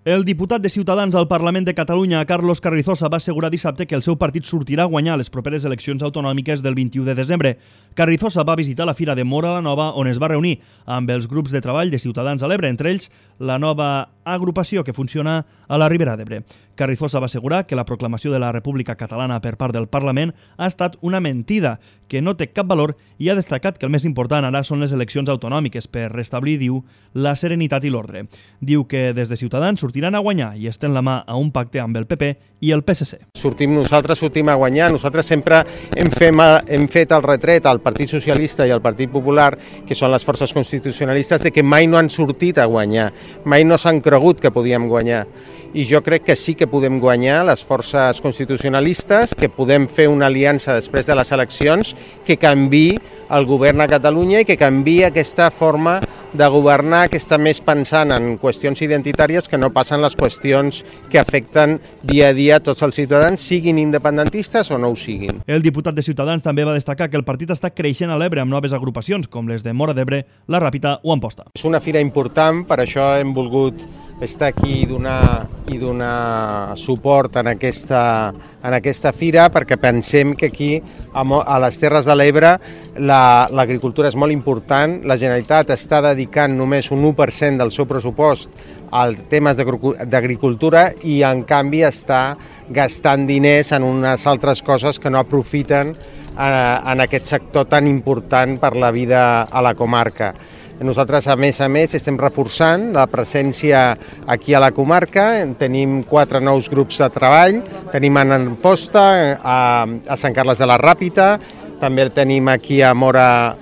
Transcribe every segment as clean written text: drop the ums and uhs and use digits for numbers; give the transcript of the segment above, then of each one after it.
El diputat de Ciutadans al Parlament de Catalunya, Carlos Carrizosa, va assegurar dissabte que el seu partit sortirà a guanyar les properes eleccions autonòmiques del 21 de desembre. Carrizosa va visitar la Fira de Móra la Nova, on es va reunir amb els grups de treball de Ciutadans a l'Ebre, entre ells la nova agrupació que funciona a la Ribera d'Ebre. Carrizosa va assegurar que la proclamació de la República Catalana per part del Parlament ha estat una mentida, que no té cap valor, i ha destacat que el més important ara són les eleccions autonòmiques per restablir, diu, la serenitat i l'ordre. Diu que des de Ciutadans sortiran a guanyar i estén la mà a un pacte amb el PP i el PSC. Nosaltres sortim a guanyar. Nosaltres sempre hem fet el retret al Partit Socialista i al Partit Popular, que són les forces constitucionalistes, de que mai no han sortit a guanyar, mai no s'han cregut que podíem guanyar. I jo crec que sí que podem guanyar les forces constitucionalistes, que podem fer una aliança després de les eleccions que canviï el govern a Catalunya i que canviï aquesta forma de governar, que està més pensant en qüestions identitàries que no passen les qüestions que afecten dia a dia tots els ciutadans, siguin independentistes o no ho siguin. El diputat de Ciutadans també va destacar que el partit està creixent a l'Ebre amb noves agrupacions, com les de Móra d'Ebre, La Ràpita o Amposta. És una fira important, per això hem volgut estar aquí i donar suport en aquesta fira, perquè pensem que aquí, a les Terres de l'Ebre, l'agricultura és molt important. La Generalitat està dedicant només un 1% del seu pressupost als temes d'agricultura i, en canvi, està gastant diners en unes altres coses que no aprofiten en aquest sector tan important per la vida a la comarca. Nosaltres, a més, estem reforçant la presència aquí a la comarca. Tenim 4 nous grups de treball, tenim a Amposta, a Sant Carles de la Ràpita, també el tenim aquí a Móra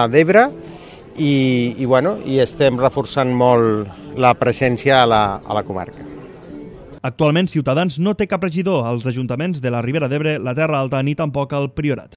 d'Ebre i estem reforçant molt la presència a la comarca. Actualment, Ciutadans no té cap regidor als ajuntaments de la Ribera d'Ebre, la Terra Alta ni tampoc al Priorat.